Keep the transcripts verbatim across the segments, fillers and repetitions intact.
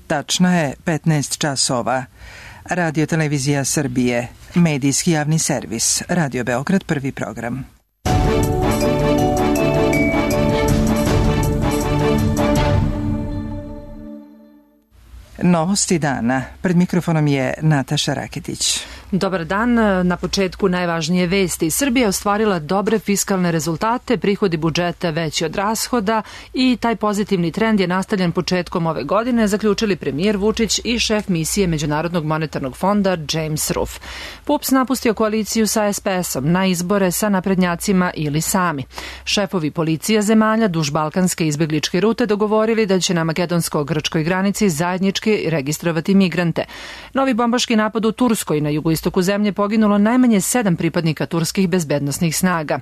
Tačno je petnaest časova. Radio Televizija Srbije, medijski javni servis, Radio Beograd, prvi program. Novosti dana. Pred mikrofonom je Nataša Raketić. Dobar dan. Na početku najvažnije vesti. Srbija je ostvarila dobre fiskalne rezultate, prihodi budžeta veći od rashoda i taj pozitivni trend je nastavljen početkom ove godine, zaključili premijer Vučić i šef misije Međunarodnog monetarnog fonda James Ruff. P U P S napustio koaliciju sa S P S-om na izbore sa naprednjacima ili sami. Šefovi policija zemalja duž balkanske izbegličke rute dogovorili da će na makedonsko-grčkoj granici zajednički registrovati migrante. Novi bombaški napad u Turskoj na jugoistoku zemlje poginulo najmanje sedam pripadnika turskih bezbednosnih snaga.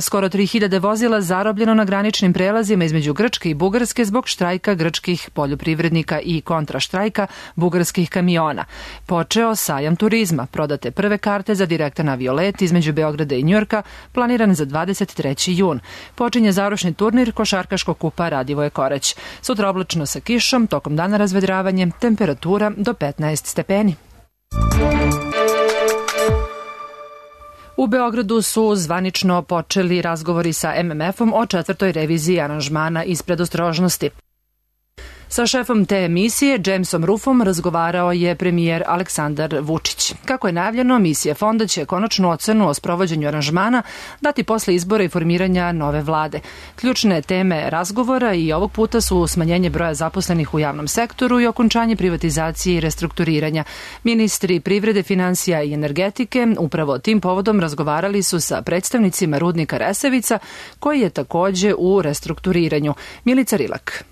Skoro tri hiljade vozila zarobljeno na graničnim prelazima između Grčke i Bugarske zbog štrajka grčkih poljoprivrednika i kontraštrajka bugarskih kamiona. Počeo sajam turizma. Prodate prve karte za direktan aviolet između Beograda i Njujorka, planiran za dvadeset treći jun. Počinje završni turnir košarkaškog kupa Radivoje Korać. Sutra oblačno sa kišom, tokom dana razvedravanje, temperatura do petnaest stepeni. U Beogradu su zvanično počeli razgovori sa M M F-om o četvrtoj reviziji aranžmana iz predostrožnosti. Sa šefom te emisije, Jamesom Ruffom, razgovarao je premijer Aleksandar Vučić. Kako je najavljeno, misija fonda će konačnu ocenu o sprovođenju aranžmana dati posle izbora i formiranja nove vlade. Ključne teme razgovora i ovog puta su smanjenje broja zaposlenih u javnom sektoru i okončanje privatizacije i restrukturiranja. Ministri privrede, finansija i energetike upravo tim povodom razgovarali su sa predstavnicima rudnika Resavica, koji je takođe u restrukturiranju. Milica Rilak.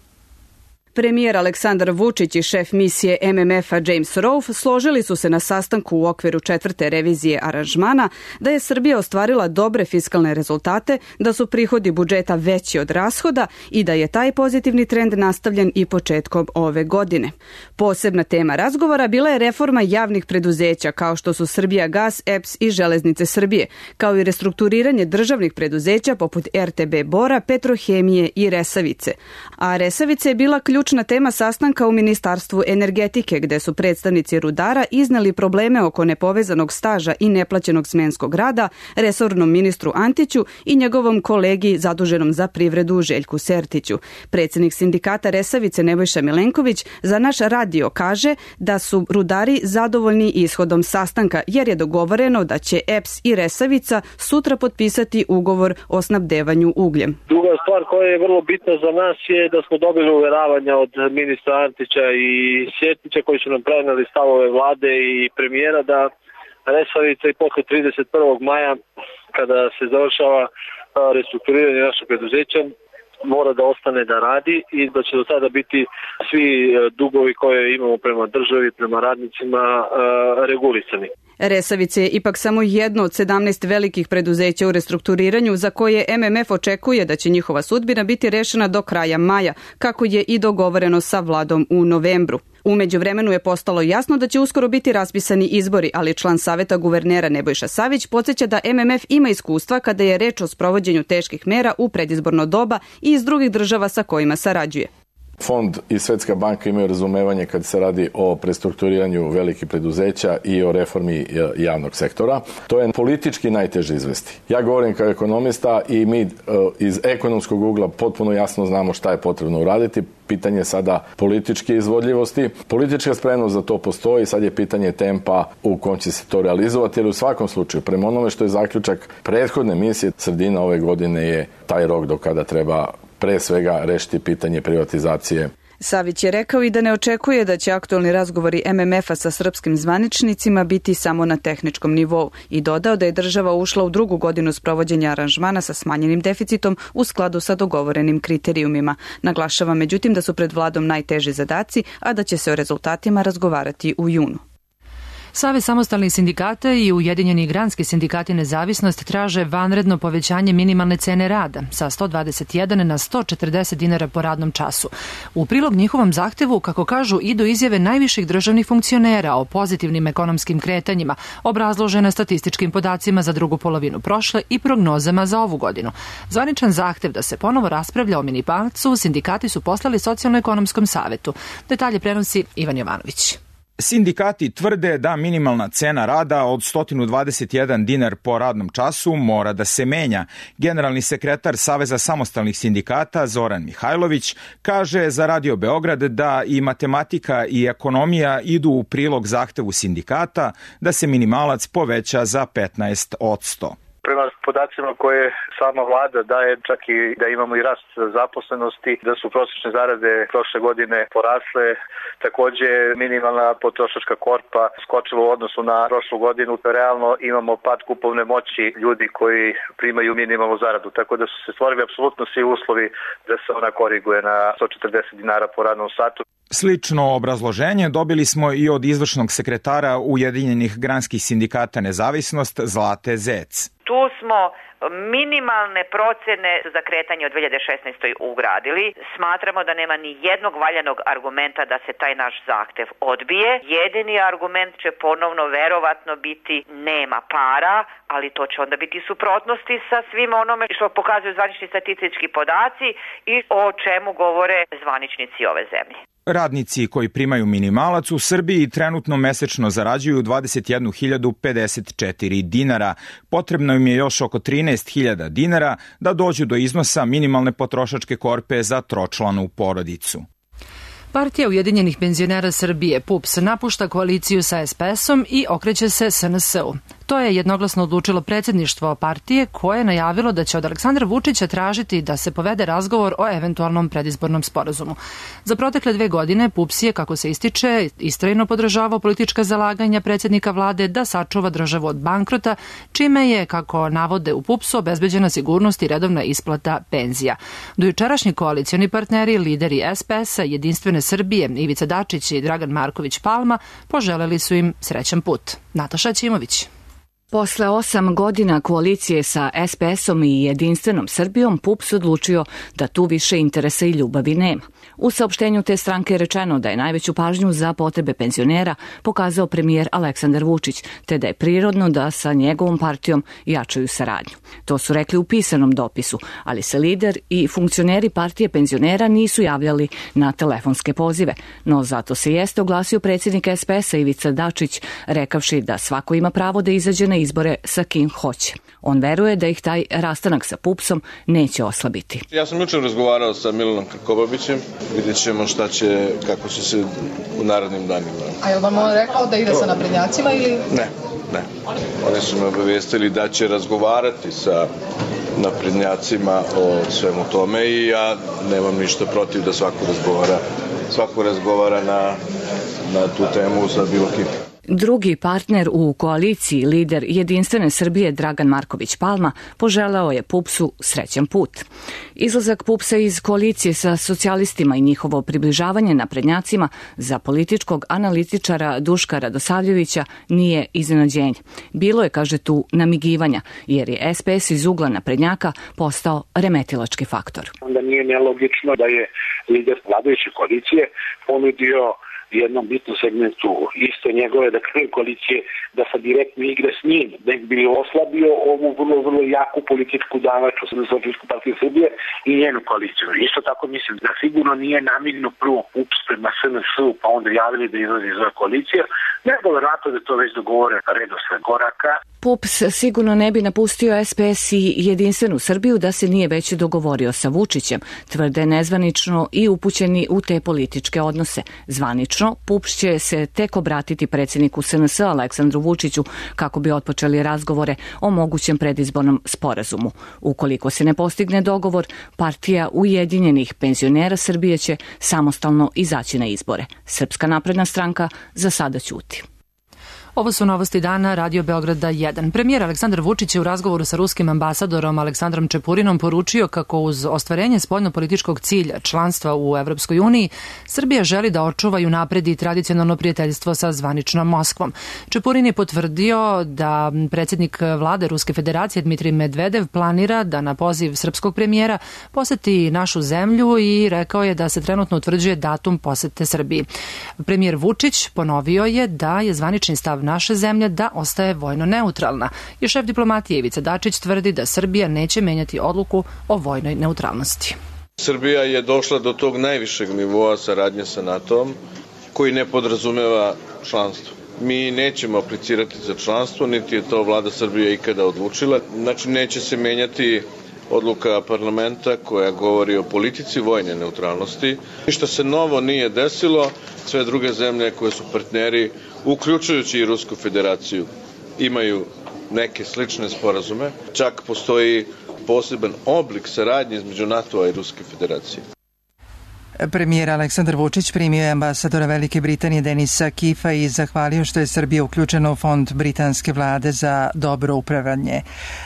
Premijer Aleksandar Vučić i šef misije M M F-a James Ruff složili su se na sastanku u okviru četvrte revizije aranžmana da je Srbija ostvarila dobre fiskalne rezultate, da su prihodi budžeta veći od rashoda i da je taj pozitivni trend nastavljen i početkom ove godine. Posebna tema razgovora bila je reforma javnih preduzeća kao što su Srbijagas, E P S i Železnice Srbije, kao i restrukturiranje državnih preduzeća poput R T B Bora, Petrohemije i Resavice. A Resavice je bila ključna Ključna tema sastanka u Ministarstvu energetike, gde su predstavnici rudara izneli probleme oko nepovezanog staža i neplaćenog smenskog rada resornom ministru Antiću i njegovom kolegi zaduženom za privredu Željku Sertiću. Predsednik sindikata Resavice Nebojša Milenković za naš radio kaže da su rudari zadovoljni ishodom sastanka, jer je dogovoreno da će E P S i Resavica sutra potpisati ugovor o snabdevanju ugljem. Druga stvar koja je vrlo bitna za nas je da smo dobili uveravanja od ministra Antića i Sjetića koji su nam preneli stavove vlade i premijera da Resavica i posle trideset prvog maja, kada se završava restrukturiranje našeg preduzeća, mora da ostane da radi i da će do sada biti svi dugovi koje imamo prema državi, prema radnicima regulisani. Resavice je ipak samo jedno od sedamnaest velikih preduzeća u restrukturiranju za koje M M F očekuje da će njihova sudbina biti rešena do kraja maja, kako je i dogovoreno sa vladom u novembru. U međuvremenu je postalo jasno da će uskoro biti raspisani izbori, ali član Saveta guvernera Nebojša Savić podsjeća da M M F ima iskustva kada je reč o sprovođenju teških mera u predizborno doba i iz drugih država sa kojima sarađuje. Fond i Svetska banka imaju razumevanje kad se radi o prestrukturiranju velikih preduzeća i o reformi javnog sektora. To je politički najteže izvesti. Ja govorim kao ekonomista i mi iz ekonomskog ugla potpuno jasno znamo šta je potrebno uraditi. Pitanje je sada političke izvodljivosti. Politička spremnost za to postoji, sad je pitanje tempa u kom će se to realizovati, jer u svakom slučaju, prema onome što je zaključak prethodne misije, sredina ove godine je taj rok do kada treba pre svega rešiti pitanje privatizacije. Savić je rekao i da ne očekuje da će aktualni razgovori M M F-a sa srpskim zvaničnicima biti samo na tehničkom nivou i dodao da je država ušla u drugu godinu sprovođenja aranžmana sa smanjenim deficitom u skladu sa dogovorenim kriterijumima. Naglašava međutim da su pred vladom najteži zadaci, a da će se o rezultatima razgovarati u junu. Savez samostalnih sindikata i Ujedinjeni granski sindikati Nezavisnost traže vanredno povećanje minimalne cene rada sa sto dvadeset jedan na sto četrdeset dinara po radnom času. U prilog njihovom zahtevu, kako kažu, idu izjave najviših državnih funkcionera o pozitivnim ekonomskim kretanjima, obrazložene statističkim podacima za drugu polovinu prošle i prognozama za ovu godinu. Zvaničan zahtev da se ponovo raspravlja o minimalcu sindikati su poslali Socijalno-ekonomskom savetu. Detalje prenosi Ivan Jovanović. Sindikati tvrde da minimalna cena rada od sto dvadeset jedan dinar po radnom času mora da se menja. Generalni sekretar Saveza samostalnih sindikata Zoran Mihajlović kaže za Radio Beograd da i matematika i ekonomija idu u prilog zahtevu sindikata da se minimalac poveća za petnaest posto. Prema podacima koje sama vlada daje, čak i da imamo i rast zaposlenosti, da su prosječne zarade prošle godine porasle, takođe minimalna potrošačka korpa skočila u odnosu na prošlu godinu, realno imamo pad kupovne moći ljudi koji primaju minimalnu zaradu, tako da su se stvorili apsolutno svi uslovi da se ona koriguje na sto četrdeset dinara po radnom satu. Slično obrazloženje dobili smo i od izvršnog sekretara Ujedinjenih granskih sindikata Nezavisnost Zlate Zec. Tu smo minimalne procene za kretanje od dve hiljade šesnaeste. ugradili. Smatramo da nema ni jednog valjanog argumenta da se taj naš zahtev odbije. Jedini argument će ponovno verovatno biti nema para, ali to će onda biti suprotnosti sa svim onome što pokazuju zvanični statistički podaci i o čemu govore zvaničnici ove zemlje. Radnici koji primaju minimalac u Srbiji trenutno mesečno zarađuju dvadeset jednu hiljadu pedeset četiri dinara. Potrebno im je još oko trinaest hiljada dinara da dođu do iznosa minimalne potrošačke korpe za tročlanu porodicu. Partija Ujedinjenih penzionera Srbije P U P S napušta koaliciju sa S P S-om i okreće se S N S-u. To je jednoglasno odlučilo predsjedništvo partije koje je najavilo da će od Aleksandra Vučića tražiti da se povede razgovor o eventualnom predizbornom sporazumu. Za protekle dve godine P U P S je, kako se ističe, istrajno podržavao politička zalaganja predsjednika vlade da sačuva državu od bankrota, čime je, kako navode u P U P S-u, obezbeđena sigurnost i redovna isplata penzija. Dojučerašnji koalicioni partneri, lideri S P S-a, Jedinstvene Srbije, Ivica Dačić i Dragan Marković Palma poželeli su im srećan put. Nataša Ćimović. Posle osam godina koalicije sa S P S-om i Jedinstvenom Srbijom, P U P S odlučio da tu više interesa i ljubavi nema. U saopštenju te stranke je rečeno da je najveću pažnju za potrebe penzionera pokazao premijer Aleksandar Vučić, te da je prirodno da sa njegovom partijom jačaju saradnju. To su rekli u pisanom dopisu, ali se lider i funkcioneri partije penzionera nisu javljali na telefonske pozive, no zato se jeste oglasio predsjednik S P S-a Ivica Dačić, rekavši da svako ima pravo da izađe na izbore sa kim hoće. On veruje da ih taj rastanak sa P U P S-om neće oslabiti. Ja sam jučer razgovarao sa Milanom Krkobabićem, vidjet ćemo šta će, kako će se u narednim danima. A je li vam on rekao da ide sa naprednjacima ili? Ne, ne. Oni su me obavijestili da će razgovarati sa naprednjacima o svemu tome i ja nemam ništa protiv da svako razgovara, svako razgovara na, na tu temu sa bilo kim. Drugi partner u koaliciji, lider Jedinstvene Srbije Dragan Marković Palma, poželeo je P U P S-u srećan put. Izlazak P U P S-a iz koalicije sa socijalistima i njihovo približavanje naprednjacima za političkog analitičara Duška Radosavljevića nije iznenađenje. Bilo je, kaže tu, namigivanja, jer je S P S iz ugla naprednjaka postao remetilački faktor. Onda nije nelogično da je lider vladajuće koalicije ponudio jednom bitnom segmentu iste njegove, da kažem, koalicije, da sa direktno igre s njim, da ih bi oslabio ovu vrlo, vrlo jaku političku davaču Socijalističku partiju Srbije i njenu koaliciju. Isto tako mislim da sigurno nije namignuo prvo P U P S prema S N S-u, pa onda javili da izlazi iz ove koalicije, nego verovatno da to već dogovore redosled koraka. P U P S sigurno ne bi napustio S P S i Jedinstvenu Srbiju da se nije već dogovorio sa Vučićem, tvrde nezvanično i upućeni u te političke odnose. Zvanično, P U P S će se tek obratiti predsjedniku S N S-a Aleksandru Vučiću kako bi otpočeli razgovore o mogućem predizbornom sporazumu. Ukoliko se ne postigne dogovor, partija Ujedinjenih penzionera Srbije će samostalno izaći na izbore. Srpska napredna stranka za sada ćuti. Ovo su novosti dana Radio Beograda jedan. Premijer Aleksandar Vučić je u razgovoru sa ruskim ambasadorom Aleksandrom Čepurinom poručio kako uz ostvarenje spoljnopolitičkog cilja članstva u Evropskoj uniji Srbija želi da očuva i unapredi tradicionalno prijateljstvo sa zvaničnom Moskvom. Čepurin je potvrdio da predsjednik vlade Ruske federacije Dmitrij Medvedev planira da na poziv srpskog premijera poseti našu zemlju i rekao je da se trenutno utvrđuje datum posete Srbiji. Premijer Vučić ponovio je da je zvanični stav naše zemlje da ostaje vojno neutralna. I šef diplomatije Ivica Dačić tvrdi da Srbija neće menjati odluku o vojnoj neutralnosti. Srbija je došla do tog najvišeg nivoa saradnje sa NATO-om koji ne podrazumeva članstvo. Mi nećemo aplicirati za članstvo, niti je to vlada Srbije ikada odlučila. Znači neće se menjati odluka parlamenta koja govori o politici vojne neutralnosti. Ništa se novo nije desilo, sve druge zemlje koje su partneri, uključujući i Rusku federaciju, imaju neke slične sporazume. Čak postoji poseban oblik saradnje između NATO-a i Ruske federacije. Premijer Aleksandar Vučić primio je ambasadora Velike Britanije Denisa Kifa i zahvalio što je Srbija uključena u fond britanske vlade za dobro upravljanje.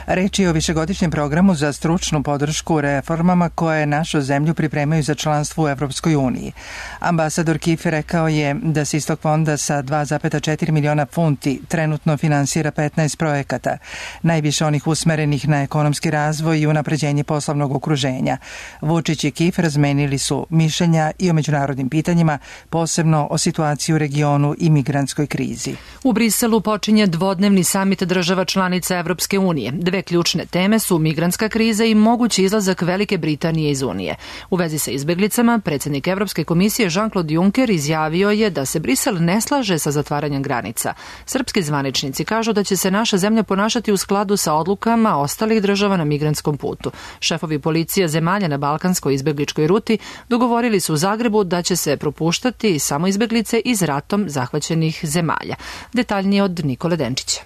Reč je o višegodišnjem programu za stručnu podršku reformama koje našu zemlju pripremaju za članstvo u Evropskoj uniji. Ambasador Kif rekao je da se iz tog fonda sa dva zarez četiri miliona funti trenutno finansira petnaest projekata, najviše onih usmerenih na ekonomski razvoj i unapređenje poslovnog okruženja. Vučić i Kif razmenili su mišljenja i o međunarodnim pitanjima, posebno o situaciji u regionu i migrantskoj krizi. U Briselu počinje dvodnevni samit država članica Evropske unije. Dve ključne teme su migrantska kriza i mogući izlazak Velike Britanije iz Unije. U vezi sa izbeglicama, predsjednik Evropske komisije Jean-Claude Juncker izjavio je da se Brisel ne slaže sa zatvaranjem granica. Srpski zvaničnici kažu da će se naša zemlja ponašati u skladu sa odlukama ostalih država na migrantskom putu. Šefovi policija zemalja na balkanskoj izbegličkoj ruti dogovorili su u Zagrebu da će se propuštati samo izbeglice iz ratom zahvaćenih zemalja. Detaljnije od Nikole Denčića.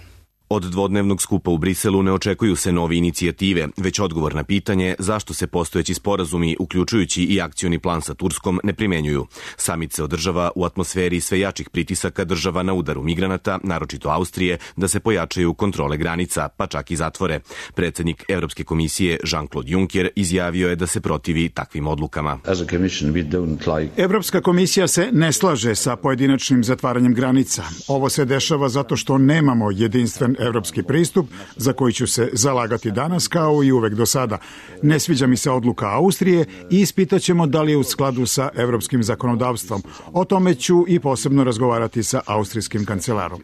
Od dvodnevnog skupa u Briselu ne očekuju se nove inicijative, već odgovor na pitanje zašto se postojeći sporazumi, uključujući i akcioni plan sa Turskom, ne primenjuju. Samit se održava u atmosferi sve jačih pritisaka država na udaru migranata, naročito Austrije, da se pojačaju kontrole granica, pa čak i zatvore. Predsjednik Evropske komisije Jean-Claude Juncker izjavio je da se protivi takvim odlukama. Evropska komisija se ne slaže sa pojedinačnim zatvaranjem granica. Ovo se dešava zato što nemamo jedinstven evropski pristup za koji ću se zalagati danas kao i uvek do sada. Ne sviđa mi se odluka Austrije i ispitaćemo da li je u skladu sa evropskim zakonodavstvom. O tome ću i posebno razgovarati sa austrijskim kancelarom.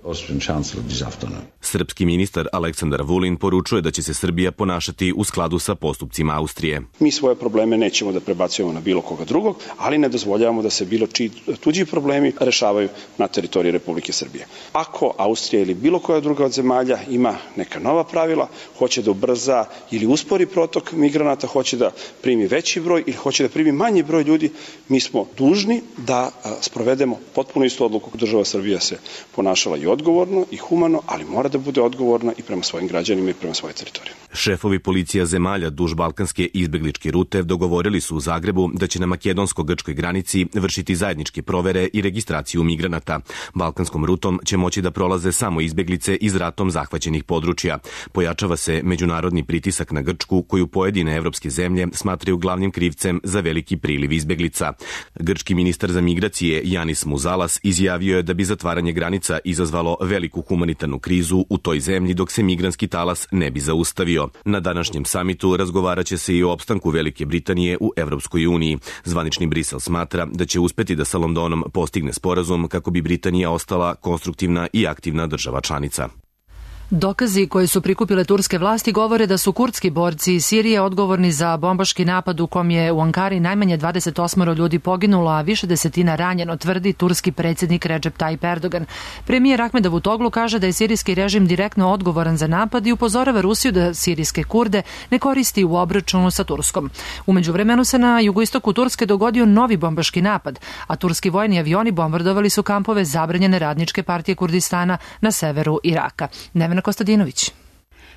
Srpski ministar Aleksandar Vulin poručuje da će se Srbija ponašati u skladu sa postupcima Austrije. Mi svoje probleme nećemo da prebacujemo na bilo koga drugog, ali ne dozvoljavamo da se bilo čiji tuđi problemi rešavaju na teritoriji Republike Srbije. Ako Austrija ili bilo koja druga od zemalja ima neka nova pravila, hoće da ubrza ili uspori protok migranata, hoće da primi veći broj ili hoće da primi manji broj ljudi, mi smo dužni da sprovedemo potpuno istu odluku. Država Srbija se ponašala i odgovorno i humano, ali mora da bude odgovorna i prema svojim građanima i prema svojoj teritoriji. Šefovi policija zemalja duž balkanske izbegličke rute dogovorili su u Zagrebu da će na makedonsko-grčkoj granici vršiti zajedničke provere i registraciju migranata. Balkanskom rutom će moći da prolaze samo izbeglice iz ratom zahvaćenih područja. Pojačava se međunarodni pritisak na Grčku, koju pojedine evropske zemlje smatraju glavnim krivcem za veliki priliv izbeglica. Grčki ministar za migracije Janis Muzalas izjavio je da bi zatvaranje granica izazvalo veliku humanitarnu krizu u toj zemlji dok se migrantski talas ne bi zaustavio. Na današnjem samitu razgovarat će se i o opstanku Velike Britanije u Evropskoj uniji. Zvanični Brisel smatra da će uspeti da sa Londonom postigne sporazum kako bi Britanija ostala konstruktivna i aktivna država članica. Dokazi koje su prikupile turske vlasti govore da su kurdski borci iz Sirije odgovorni za bombaški napad u kom je u Ankari najmanje dvadeset osam ljudi poginulo, a više desetina ranjeno, tvrdi turski predsjednik Recep Tayyip Erdogan. Premijer Ahmed Davutoglu kaže da je sirijski režim direktno odgovoran za napad i upozorava Rusiju da sirijske Kurde ne koristi u obračunu sa Turskom. U međuvremenu se na jugoistoku Turske dogodio novi bombaški napad, a turski vojni avioni bombardovali su kampove zabranjene radničke partije Kurdistana na severu Iraka. Nevena Kostadinović.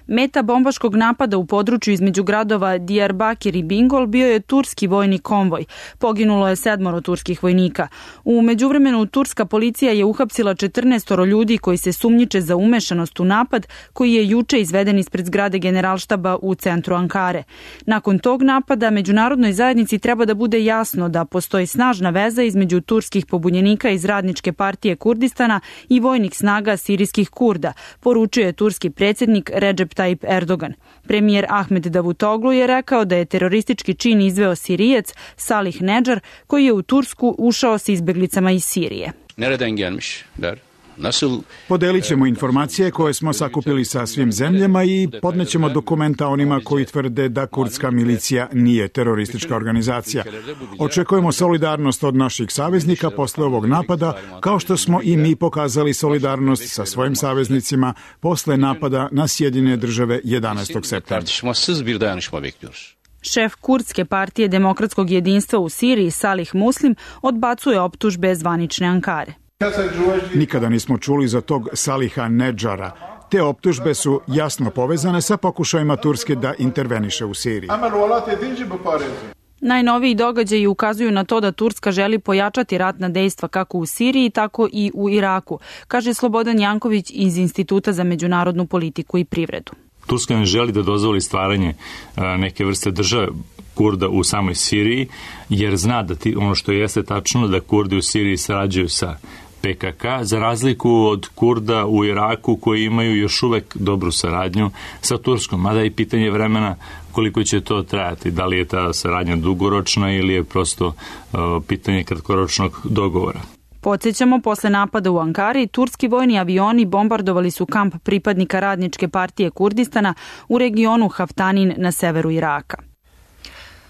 Meta bombaškog napada u području između gradova Diyarbakir i Bingol bio je turski vojni konvoj. Poginulo je sedmoro turskih vojnika. U međuvremenu turska policija je uhapsila četrnaestoro ljudi koji se sumnjiče za umešanost u napad koji je juče izveden ispred zgrade Generalštaba u centru Ankare. Nakon tog napada međunarodnoj zajednici treba da bude jasno da postoji snažna veza između turskih pobunjenika iz Radničke partije Kurdistana i vojnih snaga sirijskih Kurda, poručio je turski predsjednik Recep Tayyip Erdogan. Premijer Ahmed Davutoglu je rekao da je teroristički čin izveo Sirijec Salih Nedžar, koji je u Tursku ušao s izbeglicama iz Sirije. Nereden gelmişler? Podelit ćemo informacije koje smo sakupili sa svim zemljama i podnećemo dokumenta onima koji tvrde da kurdska milicija nije teroristička organizacija. Očekujemo solidarnost od naših saveznika posle ovog napada, kao što smo i mi pokazali solidarnost sa svojim saveznicima posle napada na Sjedinjene Države jedanaestog septembra. Šef kurdske partije demokratskog jedinstva u Siriji Salih Muslim odbacuje optužbe zvanične Ankare. Nikada nismo čuli za tog Saliha Nedžara. Te optužbe su jasno povezane sa pokušajima Turske da interveniše u Siriji. Najnoviji događaji ukazuju na to da Turska želi pojačati ratna dejstva kako u Siriji, tako i u Iraku, kaže Slobodan Janković iz Instituta za međunarodnu politiku i privredu. Turska ne želi da dozvoli stvaranje neke vrste države Kurda u samoj Siriji, jer zna da ti, ono što jeste tačno, da Kurdi u Siriji sarađuju sa P K K, za razliku od Kurda u Iraku koji imaju još uvek dobru saradnju sa Turskom, mada je pitanje vremena koliko će to trajati, da li je ta saradnja dugoročna ili je prosto uh, pitanje kratkoročnog dogovora. Podsjećamo, posle napada u Ankari, turski vojni avioni bombardovali su kamp pripadnika Radničke partije Kurdistana u regionu Haftanin na severu Iraka.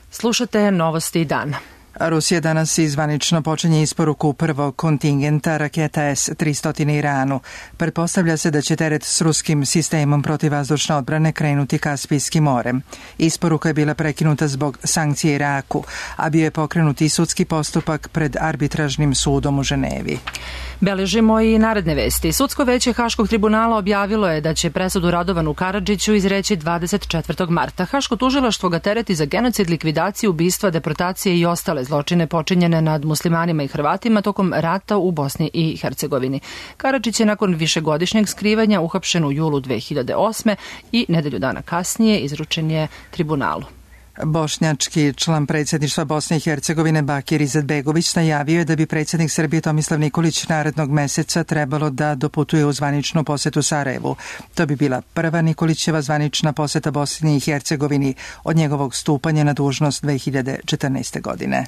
Slušate Novosti dana. Rusija danas izvanično počinje isporuku prvog kontingenta raketa S tristo Iranu. Pretpostavlja se da će teret s ruskim sistemom protivvazdušne odbrane krenuti Kaspijskim morem. Isporuka je bila prekinuta zbog sankcije Iraku, a bio je pokrenut i sudski postupak pred arbitražnim sudom u Ženevi. Beležimo i naredne vesti. Sudsko veće Haškog tribunala objavilo je da će presudu Radovanu Karadžiću izreći dvadeset četvrtog marta. Haško tužilaštvo ga tereti za genocid, likvidaciju, ubistva, deportacije i ostale zločine počinjene nad muslimanima i Hrvatima tokom rata u Bosni i Hercegovini. Karadžić je nakon višegodišnjeg skrivanja uhapšen u julu dve hiljade osme i nedelju dana kasnije izručen je tribunalu. Bošnjački član predsjedništva Bosne i Hercegovine Bakir Izetbegović najavio je da bi predsjednik Srbije Tomislav Nikolić narednog meseca trebalo da doputuje u zvaničnu posetu Sarajevu. To bi bila prva Nikolićeva zvanična poseta Bosni i Hercegovini od njegovog stupanja na dužnost dve hiljade četrnaeste. godine.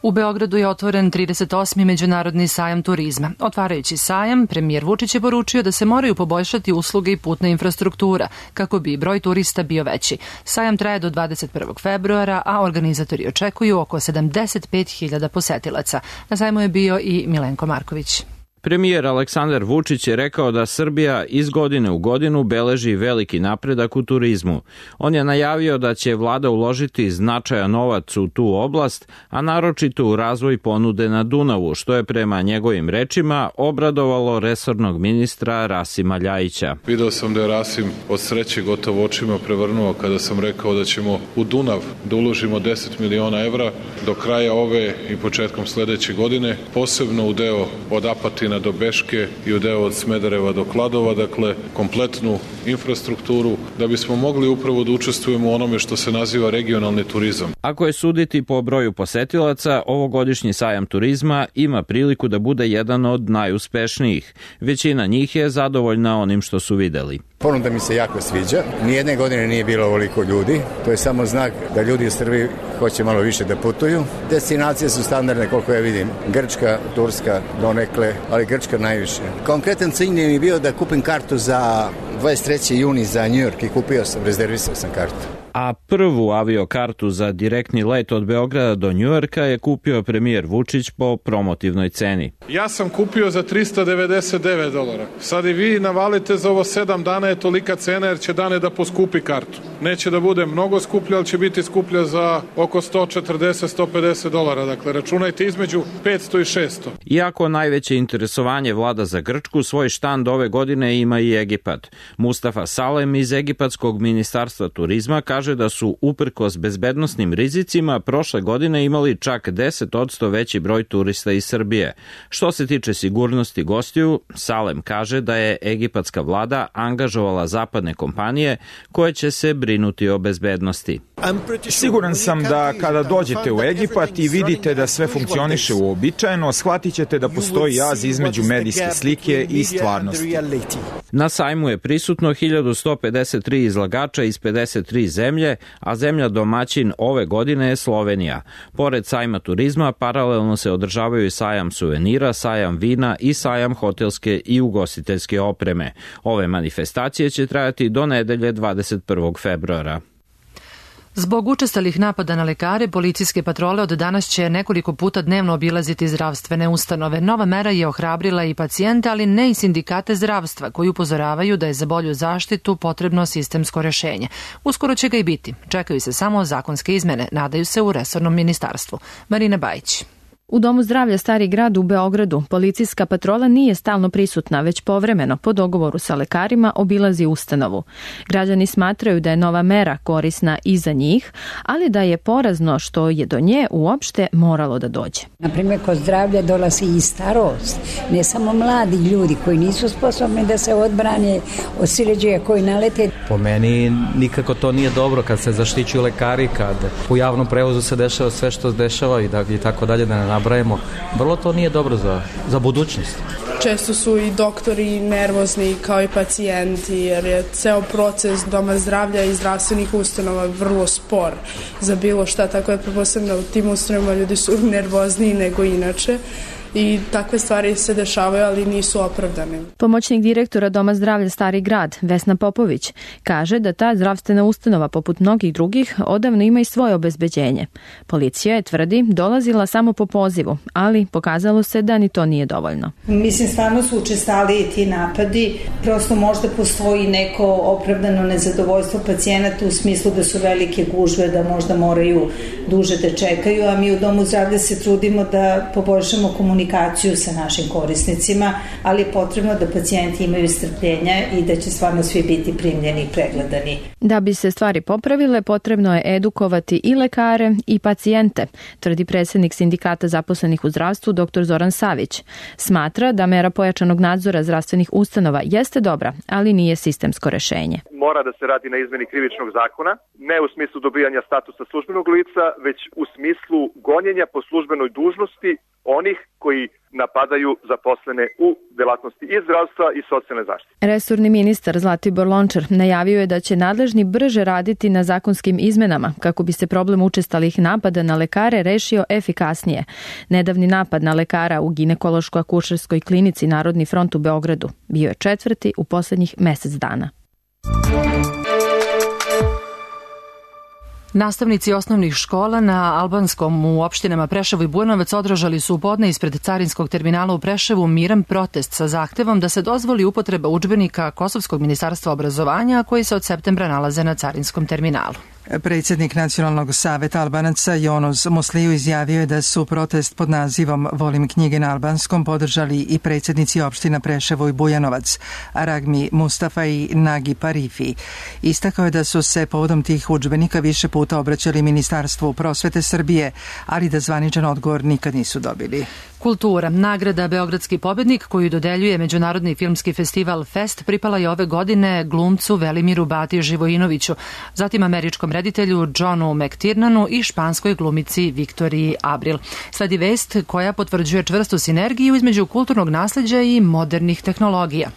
U Beogradu je otvoren trideset osmi Međunarodni sajam turizma. Otvarajući sajam, premijer Vučić je poručio da se moraju poboljšati usluge i putna infrastruktura kako bi broj turista bio veći. Sajam traje do dvadeset prvog februara, a organizatori očekuju oko sedamdeset pet hiljada posetilaca. Na sajmu je bio i Milenko Marković. Premijer Aleksandar Vučić je rekao da Srbija iz godine u godinu beleži veliki napredak u turizmu. On je najavio da će vlada uložiti značajan novac u tu oblast, a naročito u razvoj ponude na Dunavu, što je prema njegovim rečima obradovalo resornog ministra Rasima Ljajića. Video sam da je Rasim od sreće gotovo očima prevrnuo kada sam rekao da ćemo u Dunav da uložimo deset miliona evra do kraja ove i početkom sledeće godine, posebno u deo od Apatina do Beške i u deo od Smedereva do Kladova, dakle kompletnu infrastrukturu da bismo mogli upravo da učestvujemo u onome što se naziva regionalni turizam. Ako je suditi po broju posetilaca, ovogodišnji sajam turizma ima priliku da bude jedan od najuspešnijih. Većina njih je zadovoljna onim što su videli. Ponuda mi se jako sviđa. Nijedne godine nije bilo ovoliko ljudi. To je samo znak da ljudi u Srbiji hoće malo više da putuju. Destinacije su standardne koliko ja vidim. Grčka, Turska, donekle, ali Grčka najviše. Konkretan cilj mi je bio da kupim kartu za dvadeset treći juni za New York i kupio sam, rezervisao sam kartu. A prvu aviokartu za direktni let od Beograda do Njujorka je kupio premijer Vučić po promotivnoj ceni. Ja sam kupio za tristo devedeset devet dolara. Sad i vi navalite za ovo sedam dana je tolika cena jer će dane da poskupi kartu. Neće da bude mnogo skuplja, ali će biti skuplja za oko sto četrdeset do sto pedeset dolara. Dakle, računajte između petsto i šesto. Iako najveće interesovanje vlada za Grčku, svoj štand ove godine ima i Egipat. Mustafa Salem iz Egipatskog ministarstva turizma kaže da su uprkos bezbednosnim rizicima prošle godine imali čak deset odsto veći broj turista iz Srbije. Što se tiče sigurnosti gostiju, Salem kaže da je egipatska vlada angažovala zapadne kompanije koje će se brinuti o bezbednosti. Siguran sam da kada dođete u Egipat i vidite da sve funkcioniše uobičajeno, shvatit ćete da postoji jaz između medijske slike i stvarnosti. Na sajmu je prisutno hiljadu sto pedeset tri izlagača iz pedeset tri zemlje, a zemlja domaćin ove godine je Slovenija. Pored sajma turizma, paralelno se održavaju i sajam suvenira, sajam vina i sajam hotelske i ugostiteljske opreme. Ove manifestacije će trajati do nedelje dvadeset prvog februara. Zbog učestalih napada na lekare, policijske patrole od danas će nekoliko puta dnevno obilaziti zdravstvene ustanove. Nova mera je ohrabrila i pacijente, ali ne i sindikate zdravstva, koji upozoravaju da je za bolju zaštitu potrebno sistemsko rešenje. Uskoro će ga i biti. Čekaju se samo zakonske izmene, nadaju se u resornom ministarstvu. Marina Bajić. U Domu zdravlja Stari grad u Beogradu policijska patrola nije stalno prisutna, već povremeno po dogovoru sa lekarima obilazi ustanovu. Građani smatraju da je nova mera korisna i za njih, ali da je porazno što je do nje uopšte moralo da dođe. Naprimjer, kod zdravlja dolazi i starost, ne samo mladi ljudi koji nisu sposobni da se odbrane od sileđaja koji nalete. Po meni nikako to nije dobro kad se zaštićuju lekari, kad u javnom prevozu se dešava sve što se dešava i, da, i tako dalje, da ne nabrajemo. Vrlo to nije dobro za, za budućnost. Često su i doktori nervozni kao i pacijenti jer je ceo proces doma zdravlja i zdravstvenih ustanova vrlo spor za bilo šta, tako je pretpostavljeno u tim ustanovama ljudi su nervozniji nego inače. I takve stvari se dešavaju, ali nisu opravdane. Pomoćnik direktora Doma zdravlja Stari grad, Vesna Popović, kaže da ta zdravstvena ustanova, poput mnogih drugih, odavno ima i svoje obezbeđenje. Policija je, tvrdi, dolazila samo po pozivu, ali pokazalo se da ni to nije dovoljno. Mislim, stvarno su učestali ti napadi. Prosto možda postoji neko opravdano nezadovoljstvo pacijenata u smislu da su velike gužve, da možda moraju duže da čekaju, a mi u Domu zdravlja se trudimo da poboljšamo komunikaciju komunikaciju sa našim korisnicima, ali je potrebno da pacijenti imaju strpljenja i da će stvarno svi biti primljeni i pregledani. Da bi se stvari popravile, potrebno je edukovati i lekare i pacijente, tvrdi predsjednik sindikata zaposlenih u zdravstvu dr Zoran Savić. Smatra da mera pojačanog nadzora zdravstvenih ustanova jeste dobra, ali nije sistemsko rešenje. Mora da se radi na izmeni krivičnog zakona, ne u smislu dobijanja statusa službenog lica, već u smislu gonjenja po službenoj dužnosti onih koji napadaju zaposlene u delatnosti i zdravstva i socijalne zaštite. Resorni ministar Zlatibor Lončar najavio je da će nadležni brže raditi na zakonskim izmenama kako bi se problem učestalih napada na lekare rešio efikasnije. Nedavni napad na lekara u ginekološko-akušerskoj klinici Narodni front u Beogradu bio je četvrti u poslednjih mesec dana. Nastavnici osnovnih škola na albanskom u opštinama Preševo i Bujanovac održali su u podne ispred carinskog terminala u Preševu miran protest sa zahtevom da se dozvoli upotreba udžbenika Kosovskog ministarstva obrazovanja koji se od septembra nalaze na carinskom terminalu. Predsjednik Nacionalnog saveta Albanaca Jonos Musliju izjavio je da su protest pod nazivom Volim knjige na albanskom podržali i predsjednici opština Preševo i Bujanovac, Aragmi Mustafa i Nagi Parifi. Istakao je da su se povodom tih udžbenika više puta obraćali Ministarstvu prosvete Srbije, ali da zvaničan odgovor nikad nisu dobili. Kultura. Nagrada Beogradski pobednik koju dodeljuje Međunarodni filmski festival Fest pripala je ove godine glumcu Velimiru Bati Živojinoviću, zatim američkom reditelju Johnu McTiernanu i španskoj glumici Viktoriji Abril. Sledi vest koja potvrđuje čvrstu sinergiju između kulturnog nasleđa i modernih tehnologija.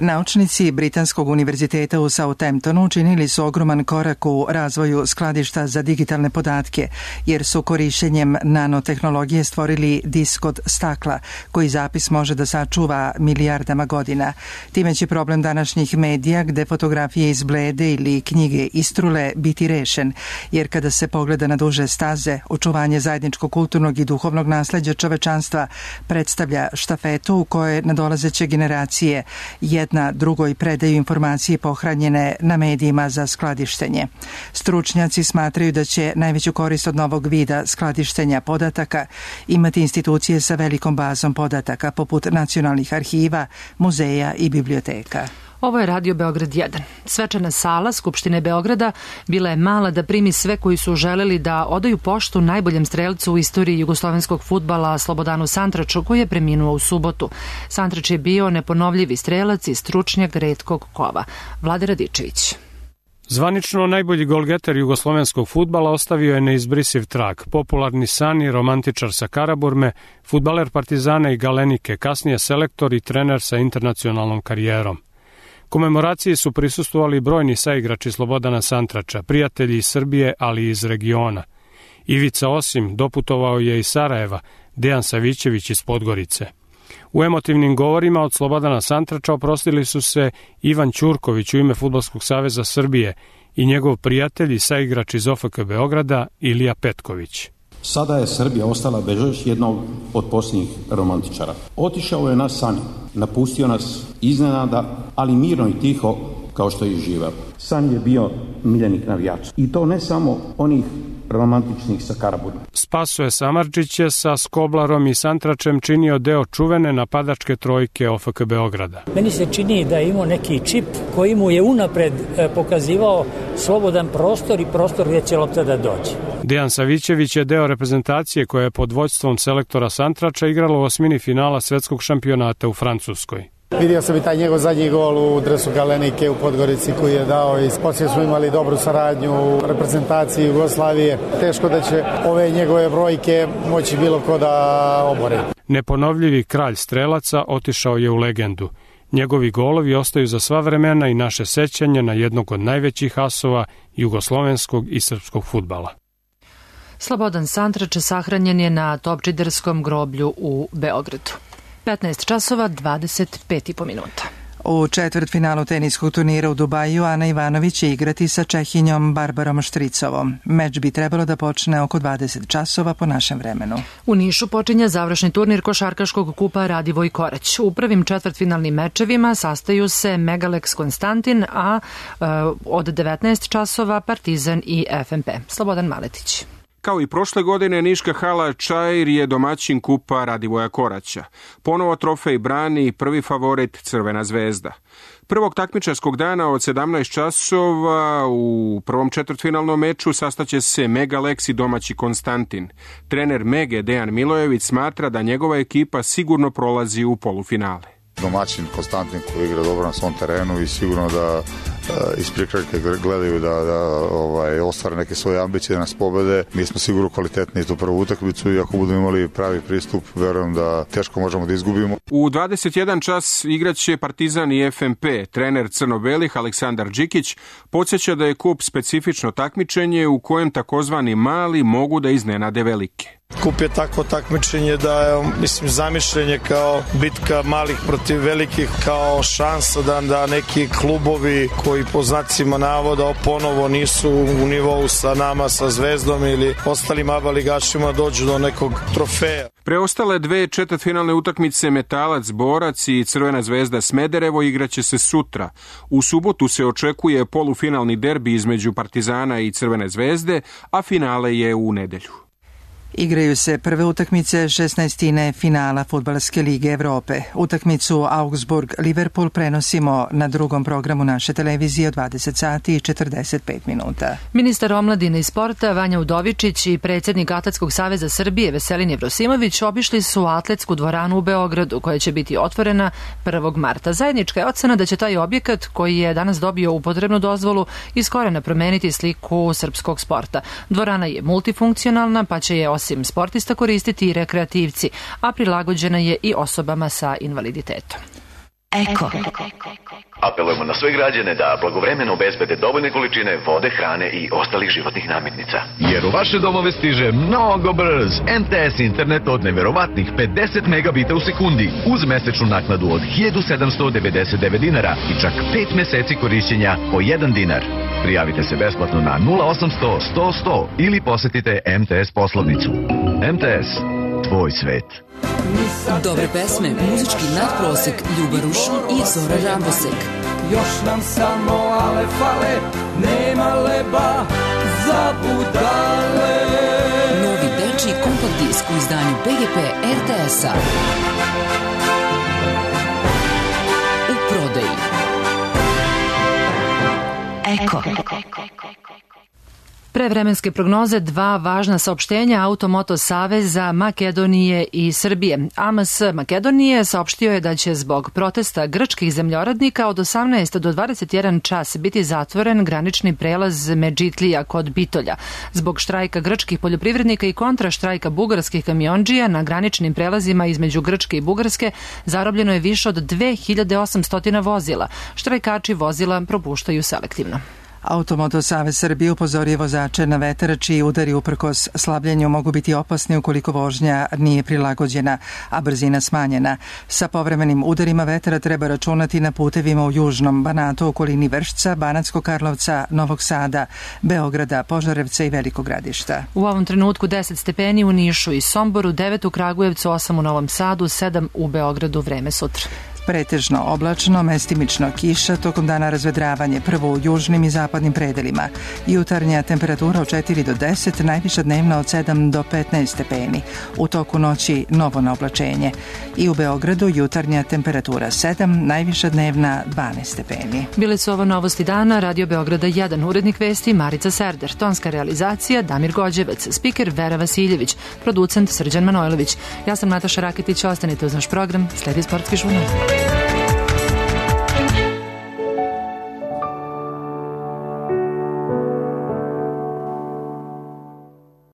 Naučnici Britanskog univerziteta u Southamptonu učinili su ogroman korak u razvoju skladišta za digitalne podatke, jer su korišćenjem nanotehnologije stvorili disk od stakla, koji zapis može da sačuva milijardama godina. Time će problem današnjih medija, gde fotografije izblede ili knjige istrule, biti rešen, jer kada se pogleda na duže staze, očuvanje zajedničkog kulturnog i duhovnog nasleđa čovečanstva predstavlja štafetu u kojoj nadolazeće generacije jedno opet na drugoj predaju informacije pohranjene na medijima za skladištenje. Stručnjaci smatraju da će najveću korist od novog vida skladištenja podataka imati institucije sa velikom bazom podataka poput nacionalnih arhiva, muzeja i biblioteka. Ovo je Radio Beograd jedan. Svečana sala Skupštine Beograda bila je mala da primi sve koji su želeli da odaju poštu najboljem strelcu u istoriji jugoslovenskog fudbala Slobodanu Santraču, koji je preminuo u subotu. Santrač je bio neponovljivi strelac i stručnjak retkog kova. Vlade Radičević. Zvanično najbolji golgeter jugoslovenskog fudbala ostavio je neizbrisiv trag. Popularni san i romantičar sa Karaburme, fudbaler Partizana i Galenike, kasnije selektor i trener sa internacionalnom karijerom. Komemoraciji su prisustvovali brojni saigrači Slobodana Santrača, prijatelji iz Srbije, ali i iz regiona. Ivica Osim doputovao je iz Sarajeva, Dejan Savićević iz Podgorice. U emotivnim govorima od Slobodana Santrača oprostili su se Ivan Ćurković u ime Fudbalskog saveza Srbije i njegov prijatelj i saigrač iz O F K Beograda Ilija Petković. Sada je Srbija ostala bez još jednog od posljednjih romantičara. Otišao je nas Sani, napustio nas iznenada, ali mirno i tiho kao što je i živeo. Sani je bio miljenik navijača. I to ne samo onih romantičnih sa Karaburme. Spasoje Samardžić je sa Skoblarom i Santračem činio deo čuvene napadačke trojke O F K Beograda. Meni se čini da je imao neki čip koji mu je unapred pokazivao slobodan prostor i prostor gdje će lopta da dođe. Dejan Savićević je deo reprezentacije koja je pod vođstvom selektora Santrača igrala u osmini finala svetskog šampionata u Francuskoj. Vidio sam i taj njegov zadnji gol u dresu Galenike u Podgorici koji je dao i poslije smo imali dobru saradnju u reprezentaciji Jugoslavije. Teško da će ove njegove brojke moći bilo ko da obore. Neponovljivi kralj strelaca otišao je u legendu. Njegovi golovi ostaju za sva vremena i naše sećanje na jednog od najvećih asova jugoslovenskog i srpskog fudbala. Slobodan Santrač sahranjen je na Topčiderskom groblju u Beogradu. petnaest časova dvadeset pet i po minuta. U četvrtfinalu teniskog turnira u Dubaju Ana Ivanović će igrati sa Čehinjom Barbarom Štricovom. Meč bi trebalo da počne oko dvadeset časova po našem vremenu. U Nišu počinje završni turnir košarkaškog kupa Radivoj Korać. U prvim četvrtfinalnim mečevima sastaju se Megalex Konstantin, a e, od devetnaest časova Partizan i F M P. Slobodan Maletić. Kao i prošle godine, Niška hala Čair je domaćin kupa Radivoja Koraća. Ponovo trofej brani prvi favorit Crvena zvezda. Prvog takmičarskog dana od sedamnaest časova u prvom četvrtfinalnom meču sastaće se Megalex i domaći Konstantin. Trener Mege Dejan Milojević smatra da njegova ekipa sigurno prolazi u polufinale. Domaćin Konstantin koji igra dobro na svom terenu i sigurno da iz prikrajke gledaju da, da ovaj, ostvare neke svoje ambicije da nas pobede. Mi smo sigurno kvalitetni tu prvu utakmicu i ako budemo imali pravi pristup, verujem da teško možemo da izgubimo. U dvadeset jedan čas igraće Partizan i F M P. Trener crno-belih Aleksandar Đikić podsjeća da je kup specifično takmičenje u kojem takozvani mali mogu da iznenade velike. Kup je takvo takmičenje da je, mislim, zamišljenje kao bitka malih protiv velikih, kao šansa da, da neki klubovi koji po znacima navoda ponovo nisu u nivou sa nama, sa Zvezdom ili ostalim aba ligašima dođu do nekog trofeja. Preostale dve četvrtfinalne utakmice Metalac Borac i Crvena zvezda Smederevo igraće se sutra. U subotu se očekuje polufinalni derbi između Partizana i Crvene zvezde, a finale je u nedelju. Igraju se prve utakmice šesnaestine finala Fudbalske lige Evrope. Utakmicu Augsburg-Liverpool prenosimo na drugom programu naše televizije od dvadeset sati i četrdeset pet minuta. Ministar omladine i sporta Vanja Udovičić i predsjednik Atletskog saveza Srbije Veselin Jevrosimović obišli su atletsku dvoranu u Beogradu koja će biti otvorena prvog marta. Zajednička je ocena da će taj objekat koji je danas dobio upotrebnu dozvolu iz korena promeniti sliku srpskog sporta. Dvorana je multifunkcionalna pa će je osim sportista koristiti i rekreativci, a prilagođena je i osobama sa invaliditetom. Eko. Apelujemo na sve građane da blagovremeno obezbede dovoljne količine vode, hrane i ostalih životnih namirnica. Jer u vaše domove stiže mnogo brz M T S internet od neverovatnih pedeset megabita u sekundi uz mesečnu naknadu od hiljadu sedamsto devedeset devet dinara i čak pet meseci korišćenja po jedan dinar. Prijavite se besplatno na nula osamsto sto sto ili posetite M T S poslovnicu. M T S. tvoj svet. Dobre pesme, muzički nadprosek, Ljuba Rušin i Zora Rabosek. Još nam samo ale fale, nema leba za budale. Novi dečiji kompakt disk u izdanju Be Ge Pe Er Te Es-a. U prodaji. Eko. Prevremenske prognoze, dva važna saopštenja Automoto Saveza Makedonije i Srbije. A M S Makedonije saopštio je da će zbog protesta grčkih zemljoradnika od osamnaest do dvadeset jedan čas biti zatvoren granični prelaz Medžitlija kod Bitolja. Zbog štrajka grčkih poljoprivrednika i kontra štrajka bugarskih kamiondžija na graničnim prelazima između Grčke i Bugarske zarobljeno je više od dve hiljade osamsto vozila. Štrajkači vozila propuštaju selektivno. Automoto Savez Srbije upozorio vozače na vetar čiji udari uprkos slabljenju mogu biti opasni ukoliko vožnja nije prilagođena, a brzina smanjena. Sa povremenim udarima vetra treba računati na putevima u južnom Banatu, okolini Vršca, Banatskog Karlovca, Novog Sada, Beograda, Požarevca i Velikog Gradišta. U ovom trenutku deset stepeni u Nišu i Somboru, devet u Kragujevcu, osam u Novom Sadu, sedam u Beogradu. Vreme sutra. Pretežno oblačno, mestimično kiša, tokom dana razvedravanje, prvo u južnim i zapadnim predelima. Jutarnja temperatura od četiri do deset, najviša dnevna od sedam do petnaest stepeni. U toku noći novo na oblačenje. I u Beogradu jutarnja temperatura sedam, najviša dnevna dvanaest stepeni. Bile su ovo novosti dana, Radio Beograda jedan, urednik vesti Marica Serder, tonska realizacija Damir Gođevac, spiker Vera Vasiljević, producent Srđan Manojlović. Ja sam Nataša Raketić, ostanite uz naš program, sledi sportski žurnal.